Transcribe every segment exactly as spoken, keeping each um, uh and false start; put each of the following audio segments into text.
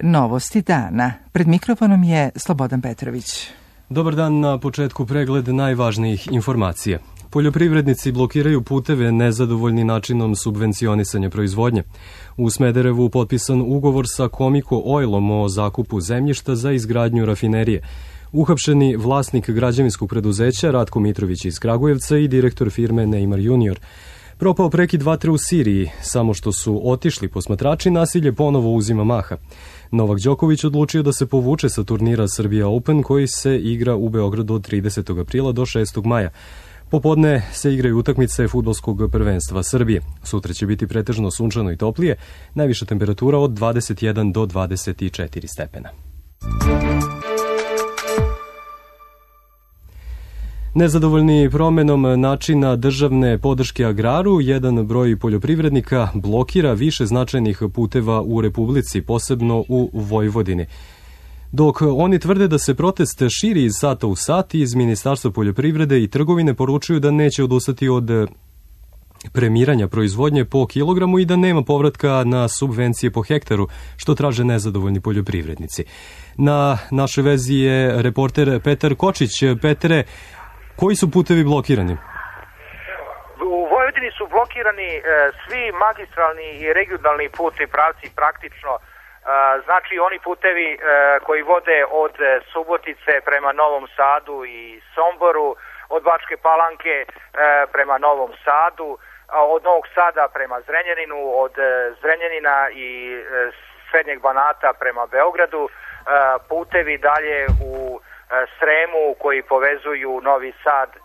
novosti dana. Pred mikrofonom je Slobodan Petrović. Dobar dan, na početku pregled najvažnijih informacija. Poljoprivrednici blokiraju puteve nezadovoljni načinom subvencionisanja proizvodnje. U Smederevu potpisan ugovor sa Komiko Oilom o zakupu zemljišta za izgradnju rafinerije. Uhapšeni vlasnik građevinskog preduzeća Ratko Mitrović iz Kragujevca i direktor firme Neymar junior. Propao prekid vatre u Siriji, samo što su otišli posmatrači, nasilje ponovo uzima maha. Novak Đoković odlučio da se povuče sa turnira Srbija Open koji se igra u Beogradu od tridesetog aprila do šestog maja. Popodne se igraju utakmice fudbalskog prvenstva Srbije. Sutra će biti pretežno sunčano i toplije, najviša temperatura od dvadeset jedan do dvadeset četiri stepena. Nezadovoljni promenom načina državne podrške agraru, jedan broj poljoprivrednika blokira više značajnih puteva u Republici, posebno u Vojvodini. Dok oni tvrde da se protest širi iz sata u sat, iz Ministarstva poljoprivrede i trgovine poručuju da neće odustati od premiranja proizvodnje po kilogramu i da nema povratka na subvencije po hektaru, što traže nezadovoljni poljoprivrednici. Na našoj vezi je reporter Petar Kočić. Petre, koji su putevi blokirani? U Vojvodini su blokirani e, svi magistralni i regionalni putni pravci praktično. E, znači oni putevi e, koji vode od Subotice prema Novom Sadu i Somboru, od Bačke Palanke e, prema Novom Sadu, od Novog Sada prema Zrenjaninu, od Zrenjanina i e, Srednjeg Banata prema Beogradu, e, putevi dalje u Sremu koji povezuju Novi Sad e,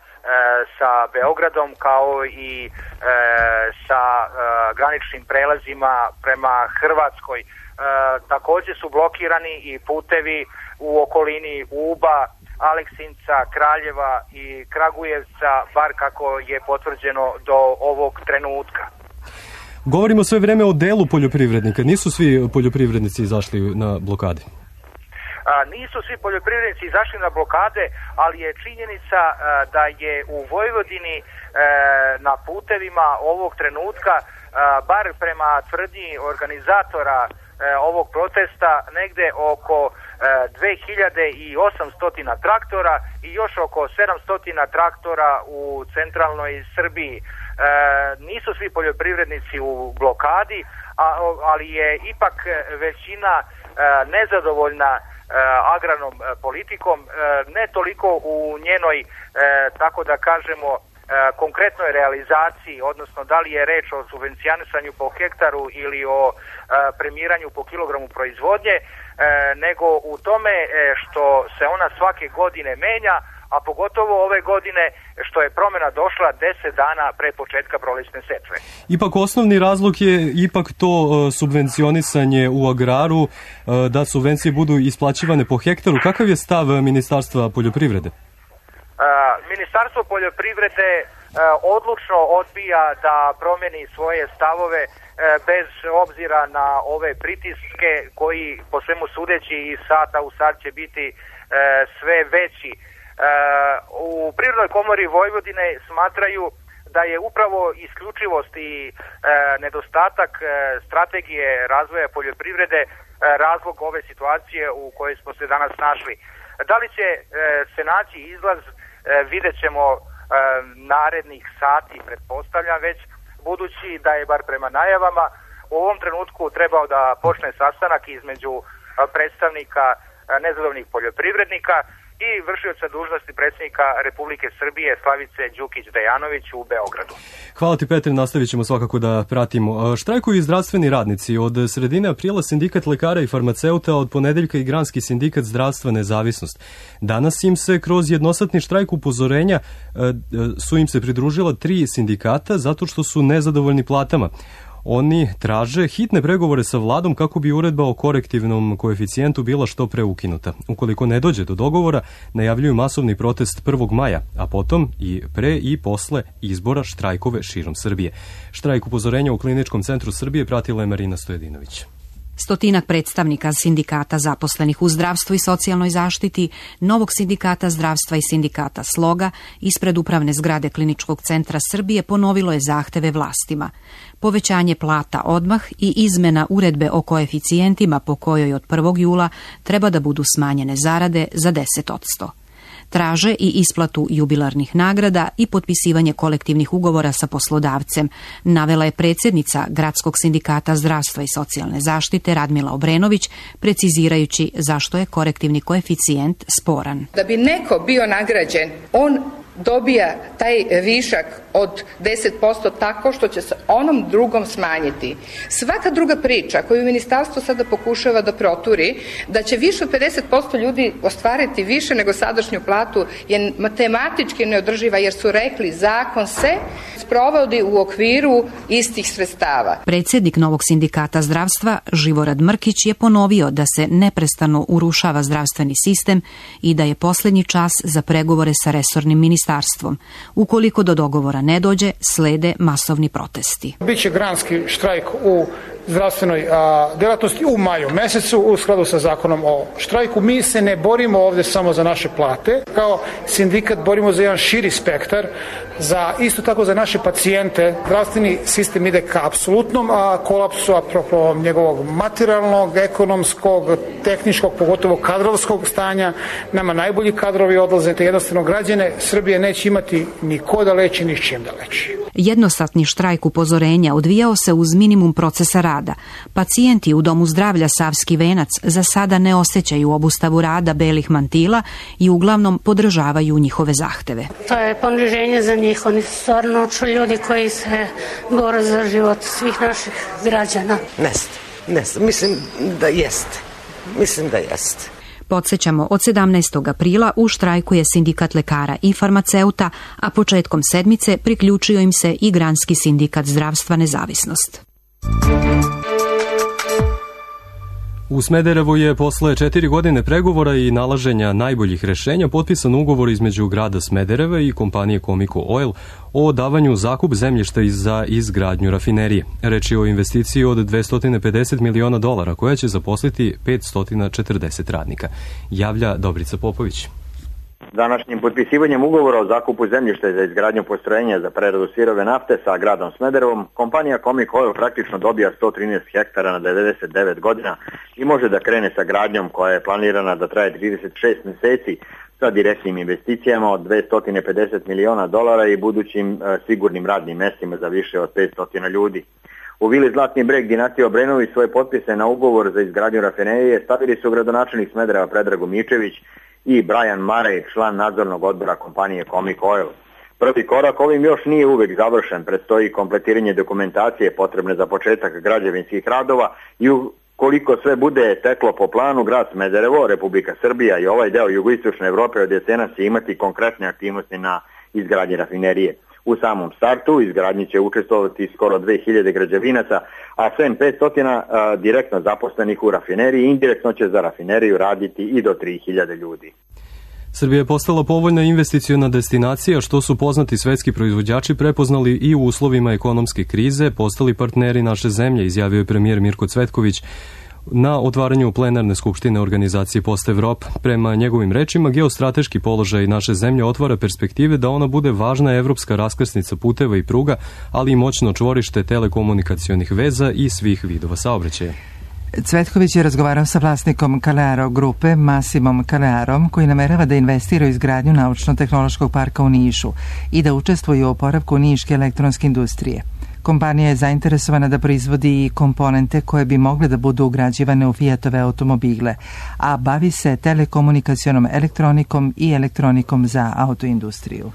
sa Beogradom, kao i e, sa e, graničnim prelazima prema Hrvatskoj. E, također su blokirani i putevi u okolini Uba, Aleksinca, Kraljeva i Kragujevca, bar kako je potvrđeno do ovog trenutka. Govorimo sve vreme o delu poljoprivrednika. Nisu svi poljoprivrednici izašli na blokade? A, nisu svi poljoprivrednici izašli na blokade, ali je činjenica a, da je u Vojvodini a, na putevima ovog trenutka, a, bar prema tvrdnji organizatora a, ovog protesta, negde oko a, dve hiljade osamsto traktora i još oko sedamsto traktora u centralnoj Srbiji. E, nisu svi poljoprivrednici u blokadi, a, ali je ipak većina a, nezadovoljna agrarnom politikom, ne toliko u njenoj, tako da kažemo, konkretnoj realizaciji, odnosno da li je reč o subvencionisanju po hektaru ili o premiranju po kilogramu proizvodnje, nego u tome što se ona svake godine menja, a pogotovo ove godine što je promjena došla deset dana pre početka prolećne setve. Ipak osnovni razlog je ipak to subvencionisanje u agraru, da subvencije budu isplaćivane po hektaru. Kakav je stav Ministarstva poljoprivrede? Ministarstvo poljoprivrede odlučno odbija da promeni svoje stavove bez obzira na ove pritiske koji po svemu sudeći iz sata u sat će biti sve veći. U Prirodnoj komori Vojvodine smatraju da je upravo isključivost i e, nedostatak e, strategije razvoja poljoprivrede e, razlog ove situacije u kojoj smo se danas našli. Da li će e, se naći izlaz, e, vidjet ćemo e, narednih sati, pretpostavljam već, budući da je bar prema najavama u ovom trenutku trebao da počne sastanak između predstavnika nezadovoljnih poljoprivrednika i vršioca dužnosti predsjednika Republike Srbije Slavice Đukić-Dejanović u Beogradu. Hvala ti, Petre, nastavit ćemo svakako da pratimo. Štrajkuju i zdravstveni radnici. Od sredine aprila sindikat lekara i farmaceuta, od ponedeljka i granski sindikat zdravstva Nezavisnost. Danas im se kroz jednosatni štrajk upozorenja su im se pridružila tri sindikata zato što su nezadovoljni platama. Oni traže hitne pregovore sa vladom kako bi uredba o korektivnom koeficijentu bila što pre ukinuta. Ukoliko ne dođe do dogovora, najavljuju masovni protest prvog maja, a potom i pre i posle izbora štrajkove širom Srbije. Štrajk upozorenja u Kliničkom centru Srbije pratila je Marina Stojedinović. Stotinak predstavnika sindikata zaposlenih u zdravstvu i socijalnoj zaštiti, Novog sindikata zdravstva i sindikata Sloga ispred upravne zgrade Kliničkog centra Srbije ponovilo je zahteve vlastima. Povećanje plata odmah i izmena uredbe o koeficijentima po kojoj od prvog jula treba da budu smanjene zarade za deset odsto. Traže i isplatu jubilarnih nagrada i potpisivanje kolektivnih ugovora sa poslodavcem, navela je predsjednica Gradskog sindikata zdravstva i socijalne zaštite Radmila Obrenović, precizirajući zašto je korektivni koeficijent sporan. Da bi neko bio nagrađen, on dobija taj višak od deset posto tako što će se onom drugom smanjiti. Svaka druga priča koju ministarstvo sada pokušava da proturi, da će više od pedeset posto ljudi ostvariti više nego sadašnju platu, je matematički neodrživa jer su rekli zakon se sprovodi u okviru istih sredstava. Predsjednik Novog sindikata zdravstva Živorad Mrkić je ponovio da se neprestano urušava zdravstveni sistem i da je posljednji čas za pregovore sa resornim ministarstvom. Ukoliko do dogovora ne dođe, slede masovni protesti. Biće granski štrajk u zdravstvenoj a, djelatnosti u maju mesecu u skladu sa zakonom o štrajku. Mi se ne borimo ovdje samo za naše plate. Kao sindikat borimo za jedan širi spektar, za isto tako za naše pacijente. Zdravstveni sistem ide ka apsolutnom a, kolapsu apropo njegovog materijalnog, ekonomskog, tehničkog, pogotovo kadrovskog stanja. Nama najbolji kadrovi odlaze, te jednostavno građane Srbije neće imati ni ko da leči, ni s čim da leči. Jednosatni štrajk upozorenja odvijao se uz minimum procesa rada. Pacijenti u Domu zdravlja Savski venac za sada ne osjećaju obustavu rada belih mantila i uglavnom podržavaju njihove zahteve. To je poniženje za njih. Oni su stvarno ljudi koji se bore za život svih naših građana. Neste, neste. Mislim da jeste. Mislim da jeste. Podsjećamo, od sedamnaestog aprila u štrajku je sindikat lekara i farmaceuta, a početkom sedmice priključio im se i Granski sindikat zdravstva Nezavisnost. U Smederevu je posle četiri godine pregovora i nalaženja najboljih rešenja potpisan ugovor između grada Smedereva i kompanije Comico Oil o davanju zakup zemljišta za izgradnju rafinerije. Reč je o investiciji od dvesta pedeset miliona dolara koja će zaposliti petsto četrdeset radnika. Javlja Dobrica Popović. Današnjim potpisivanjem ugovora o zakupu zemljišta za izgradnju postrojenja za preradu sirove nafte sa gradom Smederevom, kompanija Comico Oil praktično dobija sto trinaest hektara na devedeset devet godina i može da krene sa gradnjom koja je planirana da traje trideset šest meseci sa direktnim investicijama od dvesta pedeset miliona dolara i budućim e, sigurnim radnim mestima za više od petsto ljudi. U vili Zlatni breg dinastije Obrenović svoje potpise na ugovor za izgradnju rafinerije stavili su gradonačelnik Smedereva Predrag Mičević i Brian Marej, član nadzornog odbora kompanije Comico Oil. Prvi korak ovim još nije uvek završen, predstoji kompletiranje dokumentacije potrebne za početak građevinskih radova i ukoliko sve bude teklo po planu, grad Smederevo, Republika Srbija i ovaj deo jugoistočne Evrope od jesena će imati konkretne aktivnosti na izgradnji rafinerije. U samom startu izgradnji će učestvovati skoro dve hiljade građevinaca, a sem petsto direktno zaposlenih u rafineriji, indirektno će za rafineriju raditi i do tri hiljade ljudi. Srbija je postala povoljna investiciona destinacija, što su poznati svetski proizvođači prepoznali i u uslovima ekonomske krize, postali partneri naše zemlje, izjavio je premijer Mirko Cvetković na otvaranju plenarne skupštine organizacije Post Evropa. Prema njegovim rečima, geostrateški položaj naše zemlje otvara perspektive da ona bude važna evropska raskrsnica puteva i pruga, ali i moćno čvorište telekomunikacionih veza i svih vidova saobraćaja. Cvetković je razgovarao sa vlasnikom Kalearo grupe, Massimom Kalearom, koji namerava da investira u izgradnju naučno-tehnološkog parka u Nišu i da učestvuje u oporavku niške elektronske industrije. Kompanija je zainteresovana da proizvodi i komponente koje bi mogle da budu ugrađivane u Fiatove automobile, a bavi se telekomunikacionom elektronikom i elektronikom za autoindustriju.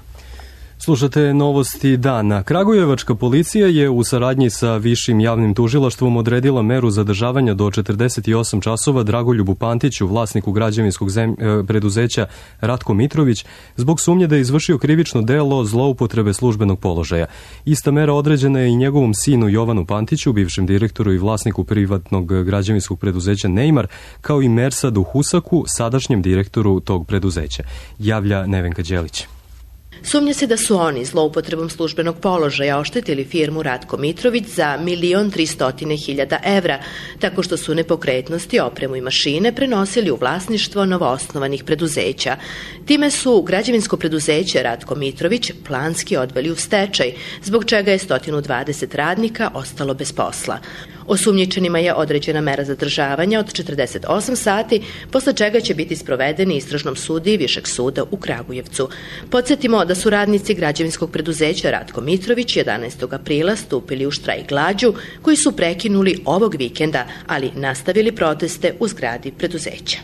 Slušate novosti dana. Kragujevačka policija je u saradnji sa Višim javnim tužilaštvom odredila meru zadržavanja do četrdeset osam časova Dragoljubu Pantiću, vlasniku građevinskog zem... preduzeća Ratko Mitrović, zbog sumnje da je izvršio krivično delo zloupotrebe službenog položaja. Ista mera određena je i njegovom sinu Jovanu Pantiću, bivšem direktoru i vlasniku privatnog građevinskog preduzeća Neymar, kao i Mersadu Husaku, sadašnjem direktoru tog preduzeća. Javlja Nevenka Đelić. Sumnja se da su oni zloupotrebom službenog položaja oštetili firmu Ratko Mitrović za milion tristotine hiljada evra, tako što su nepokretnosti, opremu i mašine prenosili u vlasništvo novoosnovanih preduzeća. Time su građevinsko preduzeće Ratko Mitrović planski odveli u stečaj, zbog čega je sto dvadeset radnika ostalo bez posla. Osumnjičenima je određena mera zadržavanja od četrdeset osam sati, posle čega će biti sprovedeni istražnom sudiji Višeg suda u Kragujevcu. Podsjetimo da su radnici građevinskog preduzeća Ratko Mitrović jedanaestog aprila stupili u štrajk glađu, koji su prekinuli ovog vikenda, ali nastavili proteste u zgradi preduzeća.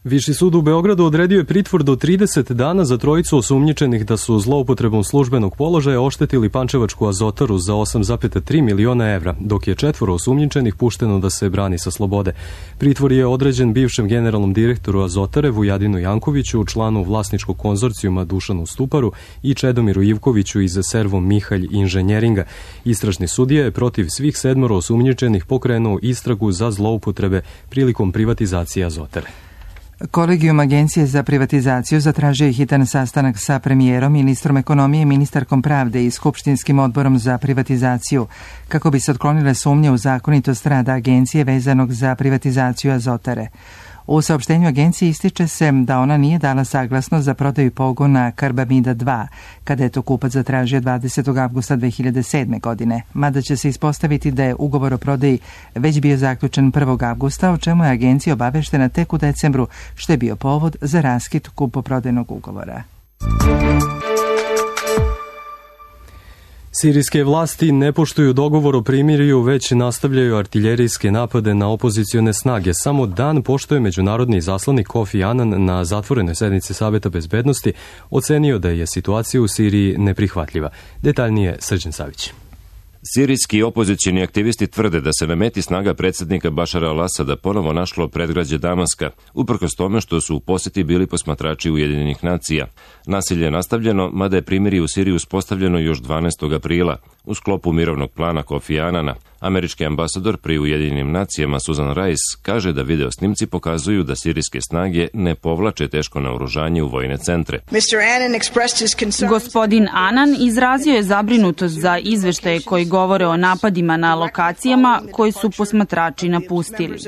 Viši sud u Beogradu odredio je pritvor do trideset dana za trojicu osumnjičenih da su zloupotrebom službenog položaja oštetili Pančevačku Azotaru za osam zarez tri miliona evra, dok je četvoro osumnjičenih pušteno da se brani sa slobode. Pritvor je određen bivšem generalnom direktoru Azotare Vujadinu Jankoviću, članu vlasničkog konzorcijuma Dušanu Stuparu i Čedomiru Ivkoviću iz Servo Mihalj inženjeringa. Istražni sudija je protiv svih sedmoro osumnjičenih pokrenuo istragu za zloupotrebe prilikom privatizacije Azotare. Kolegijum Agencije za privatizaciju zatražio je hitan sastanak sa premijerom, ministrom ekonomije, ministarkom pravde i Skupštinskim odborom za privatizaciju, kako bi se otklonile sumnje u zakonitost rada agencije vezanog za privatizaciju Azotare. U saopštenju agencije ističe se da ona nije dala saglasnost za prodaju pogona Karbamida dva, kada je to kupac zatražio dvadesetog avgusta dve hiljade sedme. godine, mada će se ispostaviti da je ugovor o prodaji već bio zaključen prvog avgusta, o čemu je agencija obaveštena tek u decembru, što je bio povod za raskid kupoprodajnog ugovora. Sirijske vlasti ne poštuju dogovor o primirju, već nastavljaju artiljerijske napade na opozicione snage. Samo dan pošto je međunarodni izaslanik Kofi Annan na zatvorenoj sednici Saveta bezbednosti ocenio da je situacija u Siriji neprihvatljiva. Detaljnije Srđan Savić. Sirijski opozicioni aktivisti tvrde da se na meti snaga predsjednika Bašara al-Asada ponovo našlo predgrađe Damaska, uprkos tome što su u posjeti bili posmatrači Ujedinjenih nacija. Nasilje je nastavljeno, mada je primirje u Siriji uspostavljeno još dvanaestog aprila, u sklopu mirovnog plana Kofi Annana. Američki ambasador pri Ujedinjenim nacijama Susan Rice kaže da video snimci pokazuju da sirijske snage ne povlače teško naoružanje u vojne centre. Gospodin Annan izrazio je zabrinutost za izveštaje koji govore o napadima na lokacijama koji su posmatrači napustili.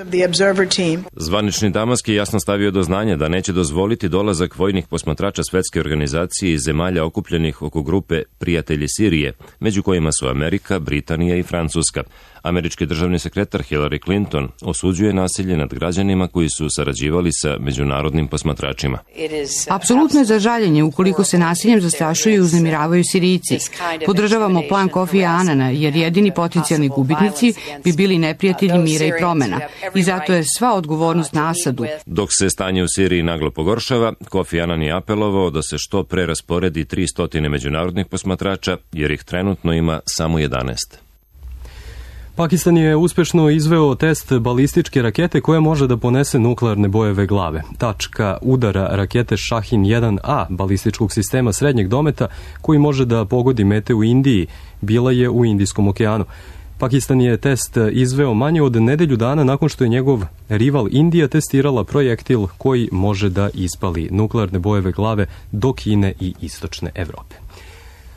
Zvanični Damask je jasno stavio do znanja da neće dozvoliti dolazak vojnih posmatrača svetske organizacije iz zemalja okupljenih oko grupe Prijatelji Sirije, među kojima su Amerika, Britanija i Francuska. Američki državni sekretar Hillary Clinton osuđuje nasilje nad građanima koji su sarađivali sa međunarodnim posmatračima. Apsolutno je za žaljenje ukoliko se nasiljem zastrašuju i uznemiravaju Sirijci. Podržavamo plan Kofi Annana jer jedini potencijalni gubitnici bi bili neprijatelji mira i promena. I zato je sva odgovornost na Asadu. Dok se stanje u Siriji naglo pogoršava, Kofi Annan je apelovao da se što pre rasporedi tristo međunarodnih posmatrača jer ih trenutno ima samo jedanaest. Pakistan je uspešno izveo test balističke rakete koja može da ponese nuklearne bojeve glave. Tačka udara rakete Shahin jedan A balističkog sistema srednjeg dometa koji može da pogodi mete u Indiji bila je u Indijskom okeanu. Pakistan je test izveo manje od nedelju dana nakon što je njegov rival Indija testirala projektil koji može da ispali nuklearne bojeve glave do Kine i istočne Evrope.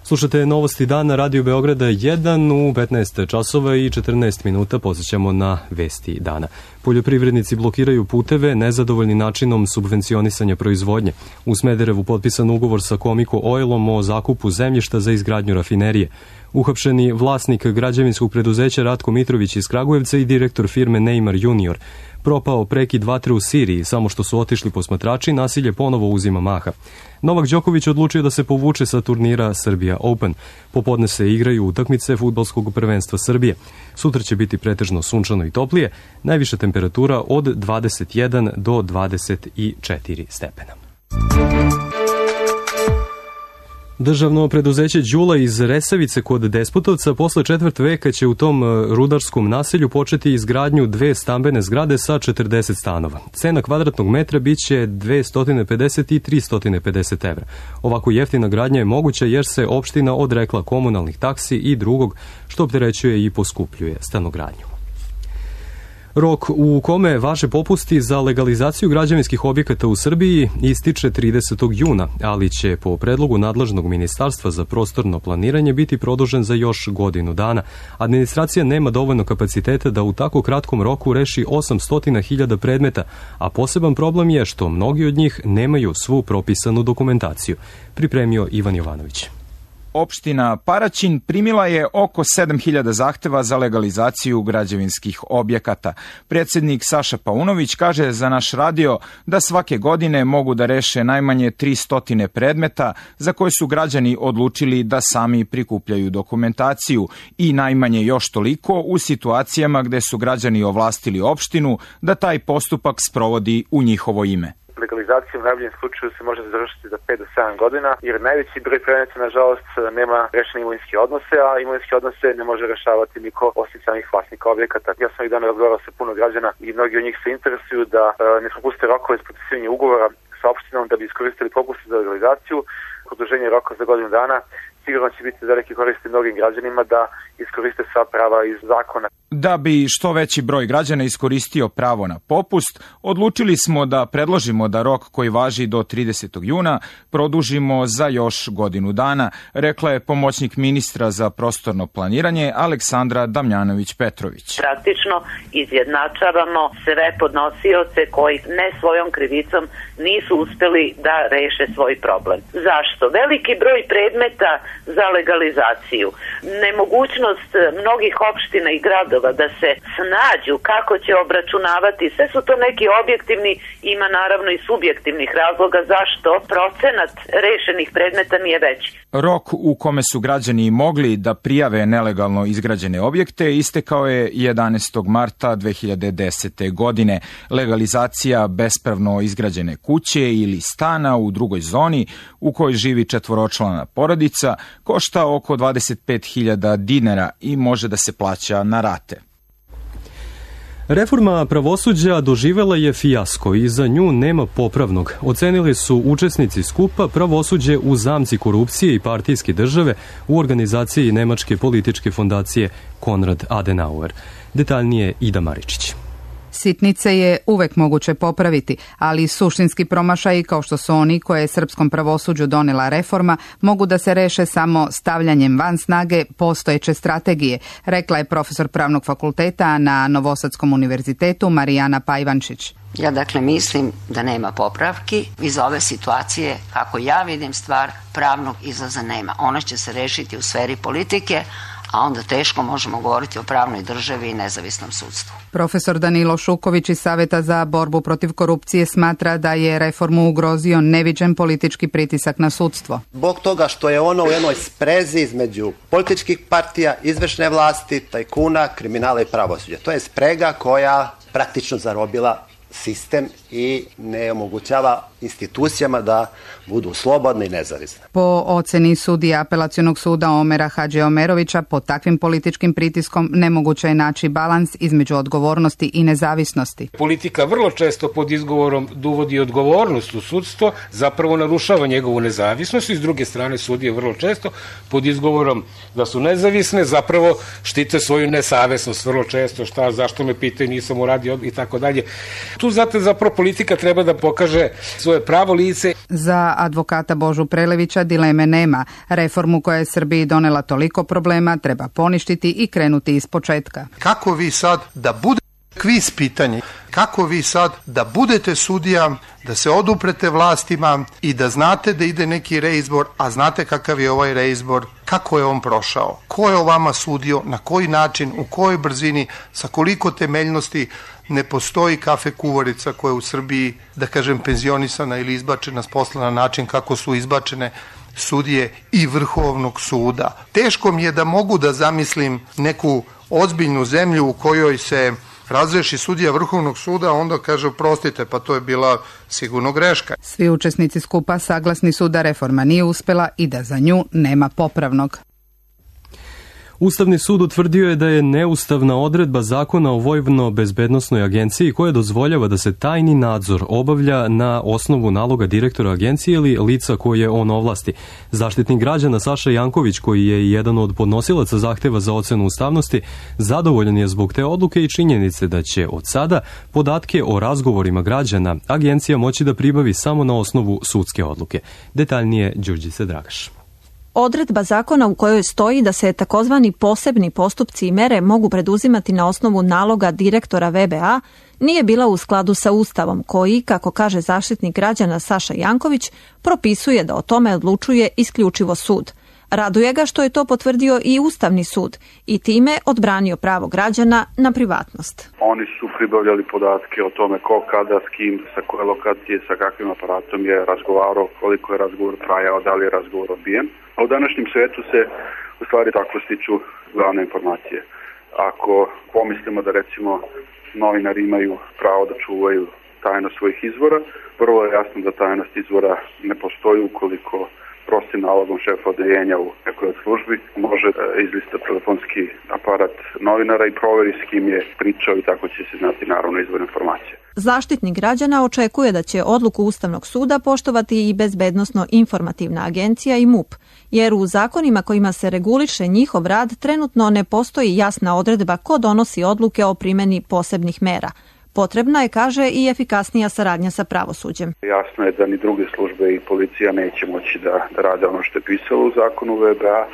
Slušate Novosti dana Radio Beograda jedan u petnaest časova i četrnaest minuta. Posjećamo na vesti dana. Poljoprivrednici blokiraju puteve nezadovoljni načinom subvencionisanja proizvodnje. U Smederevu potpisan ugovor sa Komiko Oilom o zakupu zemljišta za izgradnju rafinerije. Uhapšeni vlasnik građevinskog preduzeća Ratko Mitrović iz Kragujevca i direktor firme Neymar junior. Propao prekid vatre u Siriji, samo što su otišli posmatrači, nasilje ponovo uzima maha. Novak Đoković odlučio da se povuče sa turnira Serbia Open. Popodne se igraju utakmice fudbalskog prvenstva Srbije. Sutra će biti pretežno sunčano i toplije, najviša temperatura od dvadeset jedan do dvadeset četiri stepena. Državno preduzeće Đula iz Resavice kod Despotovca posle četvrt veka će u tom rudarskom naselju početi izgradnju dve stambene zgrade sa četrdeset stanova. Cena kvadratnog metra biće dvesta pedeset i trista pedeset evra. Ovako jeftina gradnja je moguća jer se opština odrekla komunalnih taksi i drugog što opterećuje i poskupljuje stanogradnju. Rok u kome važe popusti za legalizaciju građevinskih objekata u Srbiji ističe tridesetog juna, ali će po predlogu nadležnog ministarstva za prostorno planiranje biti produžen za još godinu dana. Administracija nema dovoljno kapaciteta da u tako kratkom roku reši osamsto hiljada predmeta, a poseban problem je što mnogi od njih nemaju svu propisanu dokumentaciju. Pripremio Ivan Jovanović. Opština Paraćin primila je oko sedam hiljada zahteva za legalizaciju građevinskih objekata. Predsjednik Saša Paunović kaže za naš radio da svake godine mogu da reše najmanje tristo predmeta za koje su građani odlučili da sami prikupljaju dokumentaciju i najmanje još toliko u situacijama gde su građani ovlastili opštinu da taj postupak sprovodi u njihovo ime. Legalizacija u najboljem slučaju se može završiti za pet do sedam godina, jer najveći broj predmeta, nažalost, nema rešene imovinske odnose, a imovinske odnose ne može rešavati niko osim samih vlasnika objekata. Ja sam ovih dana razgovarao sa puno građana i mnogi od njih se interesuju da e, ne propuste rokove za potpisivanje ugovora sa opštinom da bi iskoristili popuste za legalizaciju. Produženje roka za godinu dana sigurno će biti veliki koristi mnogim građanima da iskoriste sva prava iz zakona. Da bi što veći broj građana iskoristio pravo na popust, odlučili smo da predložimo da rok koji važi do tridesetog juna produžimo za još godinu dana, rekla je pomoćnik ministra za prostorno planiranje Aleksandra Damjanović-Petrović. Praktično izjednačavamo sve podnosioce koji ne svojom krivicom nisu uspeli da reše svoj problem. Zašto? Veliki broj predmeta za legalizaciju, nemogućnost mnogih opština i gradova da se snađu kako će obračunavati, sve su to neki objektivni, ima naravno i subjektivnih razloga zašto procenat rešenih predmeta nije veći. Rok u kome su građani mogli da prijave nelegalno izgrađene objekte istekao je jedanaestog marta dve hiljade desete. godine. Legalizacija bespravno izgrađene kuće ili stana u drugoj zoni u kojoj živi četvoročlana porodica košta oko dvadeset pet hiljada dinara i može da se plaća na rate. Reforma pravosuđa doživela je fijasko i za nju nema popravnog. Ocenili su učesnici skupa Pravosuđe u zamci korupcije i partijske države u organizaciji Nemačke političke fondacije Konrad Adenauer. Detaljnije Ida Maričić. Sitnice je uvek moguće popraviti, ali suštinski promašaji kao što su oni koje je srpskom pravosuđu donela reforma mogu da se reše samo stavljanjem van snage postojeće strategije, rekla je profesor pravnog fakulteta na Novosadskom univerzitetu Marijana Pajvančić. Ja dakle mislim da nema popravki. Iz ove situacije, kako ja vidim stvar, pravnog izlaza nema. Ona će se rešiti u sferi politike, a onda teško možemo govoriti o pravnoj državi i nezavisnom sudstvu. Profesor Danilo Šuković iz Saveta za borbu protiv korupcije smatra da je reformu ugrozio neviđen politički pritisak na sudstvo. Zbog toga što je ono u jednoj sprezi između političkih partija, izvršne vlasti, tajkuna, kriminala i pravosuđa. To je sprega koja praktično zarobila sistem i ne omogućava institucijama da budu slobodne i nezavisne. Po oceni sudija Apelacionog suda Omera Hadže Omerovića, pod takvim političkim pritiskom nemoguće je naći balans između odgovornosti i nezavisnosti. Politika vrlo često pod izgovorom da uvodi odgovornost u sudstvo, zapravo narušava njegovu nezavisnost i s druge strane sudije vrlo često pod izgovorom da su nezavisne, zapravo štite svoju nesavesnost vrlo često, šta, zašto me pitaju, nisam uradio i tako dalje. Tu zato zapravo politika treba da pokaže svoje pravo lice. Za advokata Božu Prelevića dileme nema. Reformu koja je Srbiji donela toliko problema treba poništiti i krenuti iz početka. Kako vi sad da bude kviz pitanje, kako vi sad da budete sudija, da se oduprete vlastima i da znate da ide neki reizbor, a znate kakav je ovaj reizbor, kako je on prošao, ko je o vama sudio, na koji način, u kojoj brzini, sa koliko temeljnosti. Ne postoji kafe kuvarica koja je u Srbiji, da kažem, penzionisana ili izbačena s posla na način kako su izbačene sudije i Vrhovnog suda. Teško mi je da mogu da zamislim neku ozbiljnu zemlju u kojoj se razreši sudija Vrhovnog suda, onda kaže oprostite, pa to je bila sigurno greška. Svi učesnici skupa saglasni su da reforma nije uspela i da za nju nema popravnog. Ustavni sud utvrdio je da je neustavna odredba zakona o Vojvodno-bezbednosnoj agenciji koja dozvoljava da se tajni nadzor obavlja na osnovu naloga direktora agencije ili lica koje on ovlasti. Zaštitnik građana Saša Janković, koji je jedan od podnosilaca zahteva za ocenu ustavnosti, zadovoljan je zbog te odluke i činjenice da će od sada podatke o razgovorima građana agencija moći da pribavi samo na osnovu sudske odluke. Detaljnije Đurđica Dragaš. Odredba zakona u kojoj stoji da se takozvani posebni postupci i mere mogu preduzimati na osnovu naloga direktora V B A nije bila u skladu sa Ustavom koji, kako kaže zaštitnik građana Saša Janković, propisuje da o tome odlučuje isključivo sud. Raduje ga što je to potvrdio i Ustavni sud i time odbranio pravo građana na privatnost. Oni su pribavljali podatke o tome ko, kada, s kim, sa koje lokacije, sa kakvim aparatom je razgovarao, koliko je razgovor trajao, da li je razgovor odbijen. A u današnjem svetu se u stvari tako stiču glavne informacije. Ako pomislimo da recimo novinari imaju pravo da čuvaju tajnost svojih izvora, prvo je jasno da tajnost izvora ne postoji ukoliko prostim nalogom šefa odeljenja u nekoj od službi može izlistati telefonski aparat novinara i proveri s kim je pričao i tako će se znati naravno izvor informacije. Zaštitnik građana očekuje da će odluku Ustavnog suda poštovati i Bezbednosno-informativna agencija i M U P, jer u zakonima kojima se reguliše njihov rad trenutno ne postoji jasna odredba ko donosi odluke o primjeni posebnih mera. Potrebna je, kaže, i efikasnija saradnja sa pravosuđem. Jasno je da ni druge službe i policija neće moći da, da rade ono što je pisalo u zakonu V B A.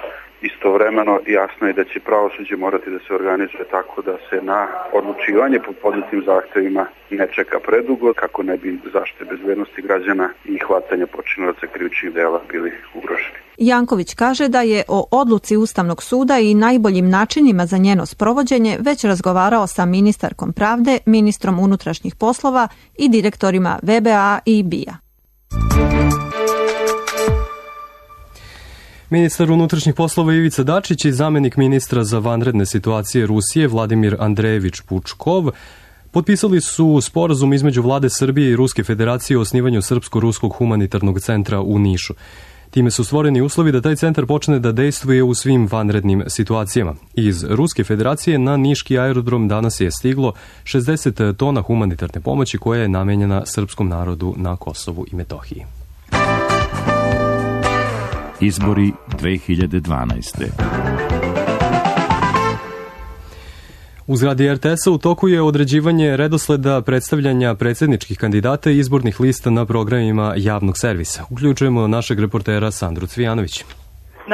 Istovremeno jasno je da će pravosuđe morati da se organizuje tako da se na odlučivanje po podnetim zahtevima ne čeka predugo, kako ne bi zaštite bezbednosti građana i hvatanja počinilaca krivičnih dela bili ugroženi. Janković kaže da je o odluci Ustavnog suda i najboljim načinima za njeno sprovođenje već razgovarao sa ministarkom pravde, ministrom unutrašnjih poslova i direktorima V B A i B I A. Ministar unutrašnjih poslova Ivica Dačić i zamenik ministra za vanredne situacije Rusije Vladimir Andrejević Pučkov potpisali su sporazum između vlade Srbije i Ruske federacije o osnivanju Srpsko-ruskog humanitarnog centra u Nišu. Time su stvoreni uslovi da taj centar počne da dejstvuje u svim vanrednim situacijama. Iz Ruske federacije na niški aerodrom danas je stiglo šezdeset tona humanitarne pomoći koja je namenjena srpskom narodu na Kosovu i Metohiji. Izbori dve hiljade dvanaeste. U zgradi R T S-a u toku je određivanje redosleda predstavljanja predsjedničkih kandidata i izbornih lista na programima javnog servisa. Uključujemo našeg reportera Sandru Cvijanović.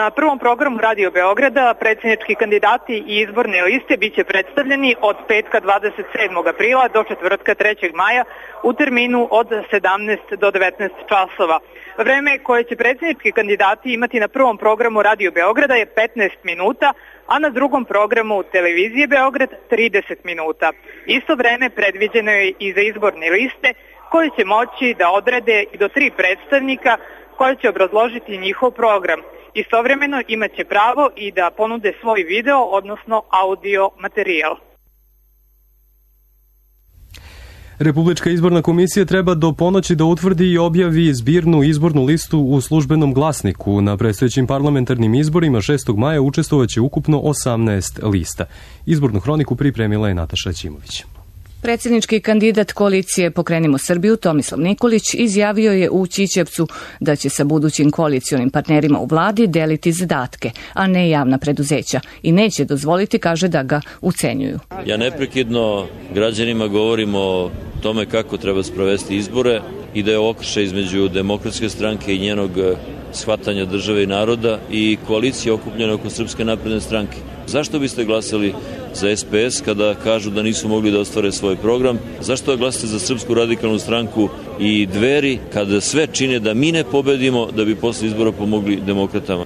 Na prvom programu Radio Beograda predsjednički kandidati i izborne liste biće predstavljeni od petka dvadeset sedmog aprila do četvrtka trećeg maja u terminu od sedamnaest do devetnaest časova. Vreme koje će predsjednički kandidati imati na prvom programu Radio Beograda je petnaest minuta, a na drugom programu Televizije Beograd trideset minuta. Isto vreme predviđeno je i za izborne liste koje će moći da odrede i do tri predstavnika koje će obrazložiti njihov program. Istovremeno imaće pravo i da ponude svoj video, odnosno audio materijal. Republička izborna komisija treba do ponoći da utvrdi i objavi zbirnu izbornu listu u službenom glasniku. Na predstojećim parlamentarnim izborima šestog maja učestvovaće ukupno osamnaest lista. Izbornu hroniku pripremila je Nataša Ćimović. Predsjednički kandidat koalicije Pokrenimo Srbiju Tomislav Nikolić izjavio je u Ćićevcu da će sa budućim koalicionim partnerima u vladi deliti zadatke, a ne javna preduzeća i neće dozvoliti, kaže, da ga ucenjuju. Ja neprekidno građanima govorim o tome kako treba sprovesti izbore i da je okršaj između Demokratske stranke i njenog shvatanja države i naroda i koalicije okupljene oko Srpske napredne stranke. Zašto biste glasali za S P S kada kažu da nisu mogli da ostvare svoj program? Zašto glasate za Srpsku radikalnu stranku i Dveri kada sve čine da mi ne pobedimo da bi posle izbora pomogli demokratama?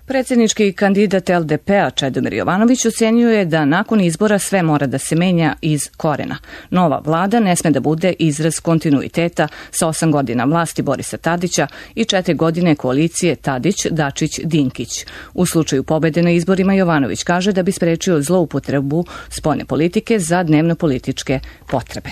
Predsjednički kandidat L D P-a Čedomir Jovanović ocenio je da nakon izbora sve mora da se menja iz korena. Nova vlada ne sme da bude izraz kontinuiteta sa osam godina vlasti Borisa Tadića i četiri godine koalicije Tadić-Dačić-Dinkić. U slučaju pobede na izborima Jovanović kaže da bi sprečio zloupotrebu spoljne politike za dnevno političke potrebe.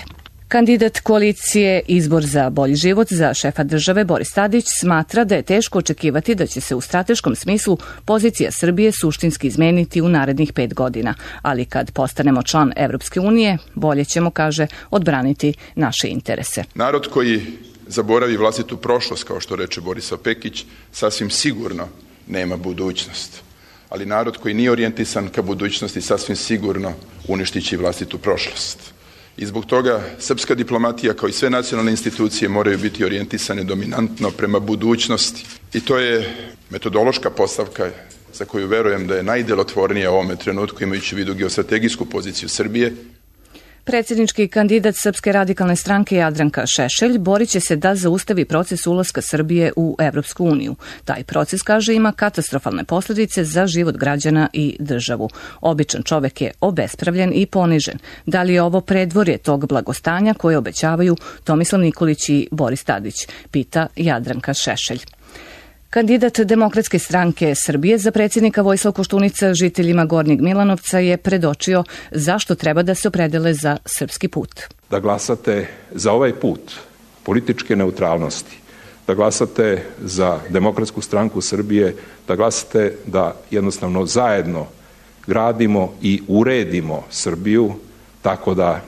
Kandidat koalicije Izbor za bolji život za šefa države Boris Tadić smatra da je teško očekivati da će se u strateškom smislu pozicija Srbije suštinski izmeniti u narednih pet godina, ali kad postanemo član Evropske unije, bolje ćemo, kaže, odbraniti naše interese. Narod koji zaboravi vlastitu prošlost, kao što reče Borisa Pekić, sasvim sigurno nema budućnost. Ali narod koji nije orijentisan ka budućnosti sasvim sigurno uništit će vlastitu prošlost. I zbog toga srpska diplomatija kao i sve nacionalne institucije moraju biti orijentisane dominantno prema budućnosti. I to je metodološka postavka za koju verujem da je najdelotvornija u ovome trenutku, imajući u vidu geostrategijsku poziciju Srbije. Predsjednički kandidat Srpske radikalne stranke Jadranka Šešelj borit će se da zaustavi proces ulaska Srbije u Evropsku uniju. Taj proces, kaže, ima katastrofalne posljedice za život građana i državu. Običan čovek je obespravljen i ponižen. Da li je ovo predvorje tog blagostanja koje obećavaju Tomislav Nikolić i Boris Tadić, pita Jadranka Šešelj. Kandidat Demokratske stranke Srbije za predsjednika Vojislav Koštunica žiteljima Gornjeg Milanovca je predočio zašto treba da se opredele za srpski put. Da glasate za ovaj put političke neutralnosti, da glasate za Demokratsku stranku Srbije, da glasate da jednostavno zajedno gradimo i uredimo Srbiju tako da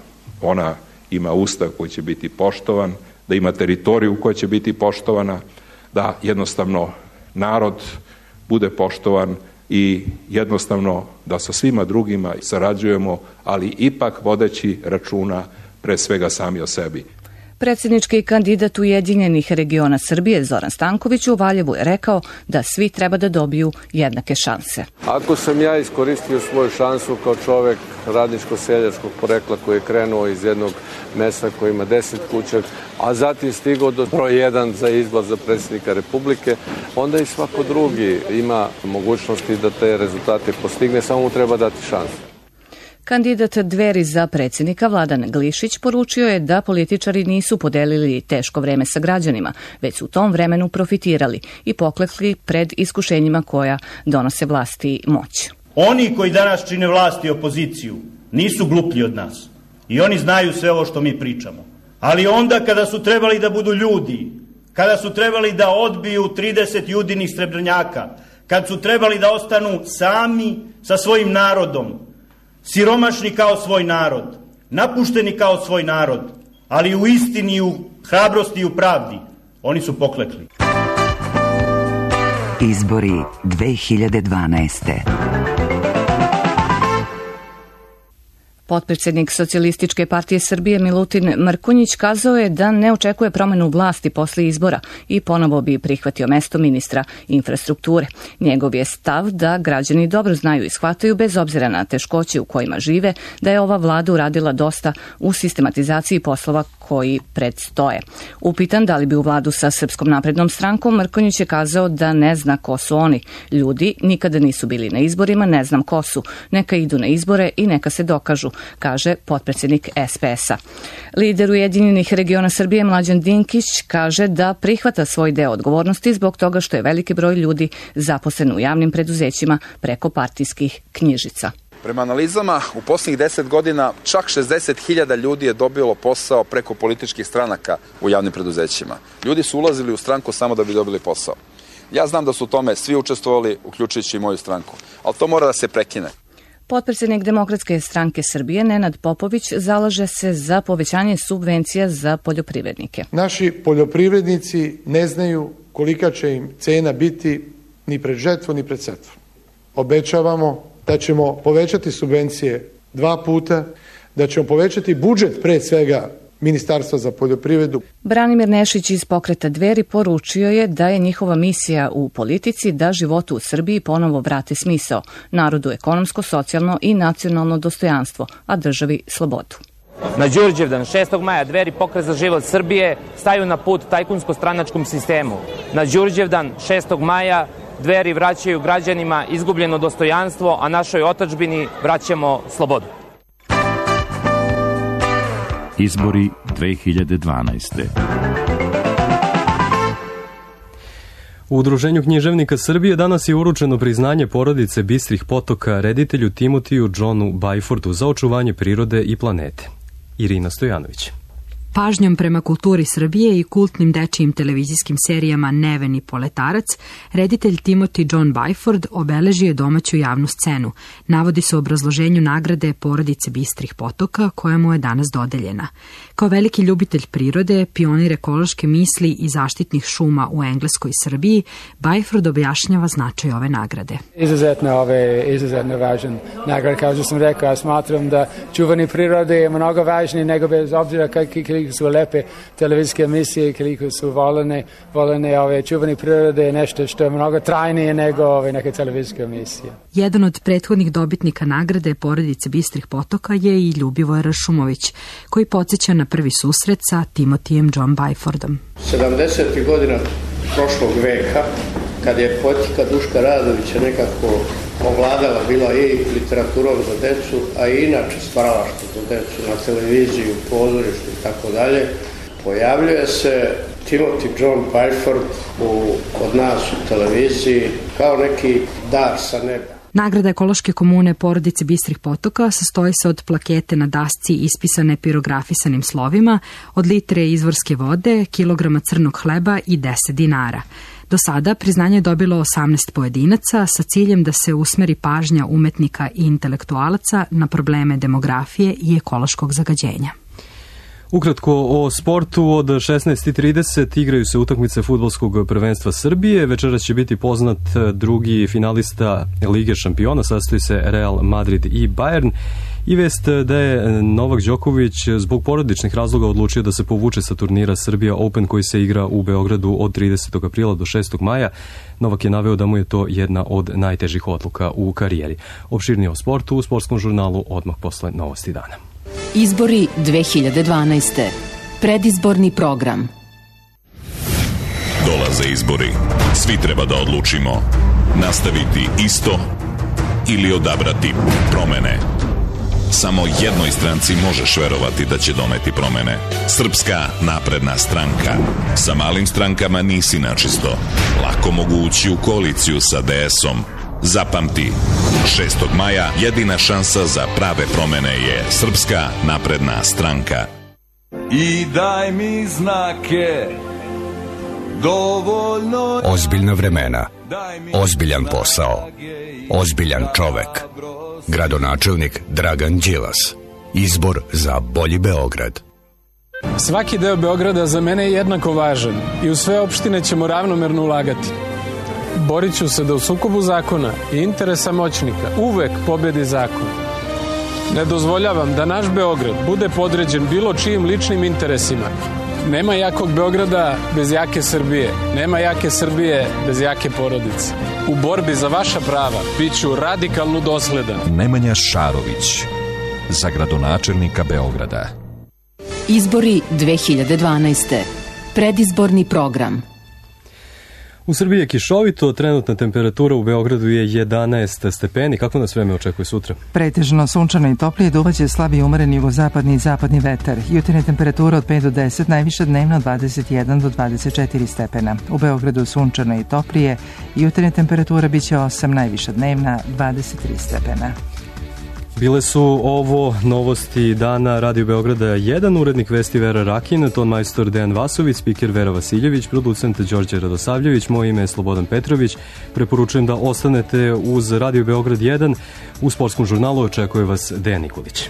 ona ima ustav koji će biti poštovan, da ima teritoriju koja će biti poštovana, da jednostavno narod bude poštovan i jednostavno da sa svima drugima sarađujemo, ali ipak vodeći računa pre svega sami o sebi. Predsjednički kandidat Ujedinjenih regiona Srbije Zoran Stanković u Valjevu je rekao da svi treba da dobiju jednake šanse. Ako sam ja iskoristio svoju šansu kao čovek radničko-seljačkog porekla koji je krenuo iz jednog mesta koji ima deset kuća, a zatim stigao do broj jedan za izbor za predsjednika Republike, onda i svako drugi ima mogućnosti da te rezultate postigne, samo mu treba dati šansu. Kandidat Dveri za predsjednika Vladan Glišić poručio je da političari nisu podelili teško vreme sa građanima, već su u tom vremenu profitirali i poklekli pred iskušenjima koja donose vlasti i moć. Oni koji danas čine vlast i opoziciju nisu gluplji od nas i oni znaju sve ovo što mi pričamo. Ali onda kada su trebali da budu ljudi, kada su trebali da odbiju trideset judinih srebrnjaka, kad su trebali da ostanu sami sa svojim narodom, siromašni kao svoj narod, napušteni kao svoj narod, ali u istini, u hrabrosti i u pravdi, oni su poklekli. Izbori dve hiljade dvanaeste. Potpredsjednik Socijalističke partije Srbije Milutin Mrkonjić kazao je da ne očekuje promenu vlasti posle izbora i ponovo bi prihvatio mesto ministra infrastrukture. Njegov je stav da građani dobro znaju i shvataju, bez obzira na teškoće u kojima žive, da je ova vlada uradila dosta u sistematizaciji poslova koji predstoje. Upitan da li bi u vladu sa Srpskom naprednom strankom, Mrkonjić je kazao da ne zna ko su oni. Ljudi nikada nisu bili na izborima, ne znam ko su. Neka idu na izbore i neka se dokažu, kaže potpredsjednik S P S-a. Lider Ujedinjenih regiona Srbije Mlađan Dinkić kaže da prihvata svoj deo odgovornosti zbog toga što je veliki broj ljudi zaposlen u javnim preduzećima preko partijskih knjižica. Prema analizama, u posljednjih deset godina čak šezdeset hiljada ljudi je dobilo posao preko političkih stranaka u javnim preduzećima. Ljudi su ulazili u stranku samo da bi dobili posao. Ja znam da su u tome svi učestvovali, uključujući i moju stranku, ali to mora da se prekine. Potpredsjednik Demokratske stranke Srbije Nenad Popović zalaže se za povećanje subvencija za poljoprivrednike. Naši poljoprivrednici ne znaju kolika će im cena biti ni pred žetvu ni pred setvu. Obećavamo da ćemo povećati subvencije dva puta, da ćemo povećati budžet pre svega Ministarstva za poljoprivredu. Branimir Nešić iz pokreta Dveri poručio je da je njihova misija u politici da životu u Srbiji ponovo vrate smisao, narodu ekonomsko, socijalno i nacionalno dostojanstvo, a državi slobodu. Na Đurđevdan šestog maja Dveri, Pokret za život Srbije staju na put tajkunsko-stranačkom sistemu. Na Đurđevdan šestog maja Dveri vraćaju građanima izgubljeno dostojanstvo, a našoj otadžbini vraćamo slobodu. Izbori dve hiljade dvanaeste. U Udruženju književnika Srbije danas je uručeno priznanje porodice Bistrih potoka reditelju Timotiju Johnu Bajfordu za očuvanje prirode i planete. Irina Stojanović. Pažnjom prema kulturi Srbije i kultnim dečijim televizijskim serijama Neven i Poletarac, reditelj Timothy John Byford obeležio je domaću javnu scenu. Navodi se u obrazloženju nagrade Porodice Bistrih potoka, koja mu je danas dodeljena. Kao veliki ljubitelj prirode, pionir ekološke misli i zaštitnih šuma u Engleskoj i Srbiji, Byford objašnjava značaj ove nagrade. Izuzetno ove, izuzetno važan nagrada. Kao što sam rekao, ja smatram da čuvanje prirode je mnogo važnije nego bez obzira kakvi su lepe televizijske emisije i koliko su volene, volene ove čuvanje prirode je nešto što je mnogo trajnije nego ove neke televizijske emisije. Jedan od prethodnih dobitnika nagrade Porodice Bistrih potoka je i Ljubivoj Rašumović, koji podsjeća na prvi susret sa Timothyjem John Byfordom. sedamdesetih godina prošlog veka, kad je poetika Duška Radovića nekako ovladala, bila i literaturom za decu, a i inače stvaralaštvo za decu na televiziji, u pozorištu i tako dalje, pojavljuje se Timothy John Byford u, kod nas u televiziji kao neki dar sa neba. Nagrada ekološke komune Porodice Bistrih potoka sastoji se od plakete na dasci ispisane pirografisanim slovima, od litre izvorske vode, kilograma crnog hleba i deset dinara. Do sada priznanje je dobilo osamnaest pojedinaca sa ciljem da se usmeri pažnja umetnika i intelektualaca na probleme demografije i ekološkog zagađenja. Ukratko o sportu, od šesnaest i trideset igraju se utakmice fudbalskog prvenstva Srbije. Večeras će biti poznat drugi finalista Lige šampiona, sastoji se Real Madrid i Bayern. I vest da je Novak Đoković zbog porodičnih razloga odlučio da se povuče sa turnira Serbia Open koji se igra u Beogradu od tridesetog aprila do šestog maja. Novak je naveo da mu je to jedna od najtežih odluka u karijeri. Opširnije o sportu u Sportskom žurnalu odmah posle Novosti dana. Izbori dve hiljade dvanaeste. Predizborni program. Dolaze izbori. Svi treba da odlučimo. Nastaviti isto ili odabrati promene. Samo jednoj stranci možeš verovati da će doneti promene. Srpska napredna stranka. Sa malim strankama nisi načisto. Lako mogu ući u koaliciju sa de esom. Zapamti, šestog maja jedina šansa za prave promene je Srpska napredna stranka. I daj mi znake, dovoljno... Ozbiljna vremena, ozbiljan posao, ozbiljan čovek. Gradonačelnik Dragan Đilas. Izbor za bolji Beograd. Svaki deo Beograda za mene je jednako važan i u sve opštine ćemo ravnomerno ulagati. Borit ću se da u sukobu zakona i interesa moćnika uvek pobedi zakon. Ne dozvoljavam da naš Beograd bude podređen bilo čijim ličnim interesima. Nema jakog Beograda bez jake Srbije. Nema jake Srbije bez jake porodice. U borbi za vaša prava bit ću radikalno dosledan. Nemanja Šarović, za gradonačelnika Beograda. Izbori dve hiljade dvanaeste. Predizborni program. U Srbiji je kišovito, trenutna temperatura u Beogradu je jedanaest stepeni. Kako nas vreme očekuje sutra? Pretežno sunčano i toplije, duvaće slabi i umeren jugozapadni i zapadni vetar. Jutarnja temperatura od pet do deset, najviša dnevno od dvadeset jedan do dvadeset četiri stepena. U Beogradu sunčano i toplije, jutarnja temperatura biće osam, najviša dnevna dvadeset tri stepena. Bile su ovo novosti dana Radio Beograda jedan, urednik vesti Vera Rakin, ton majstor Dejan Vasović, spiker Vera Vasiljević, producent Đorđe Radosavljević, moje ime je Slobodan Petrović. Preporučujem da ostanete uz Radio Beograd jedan. U Sportskom žurnalu očekuje vas Dejan Nikolić.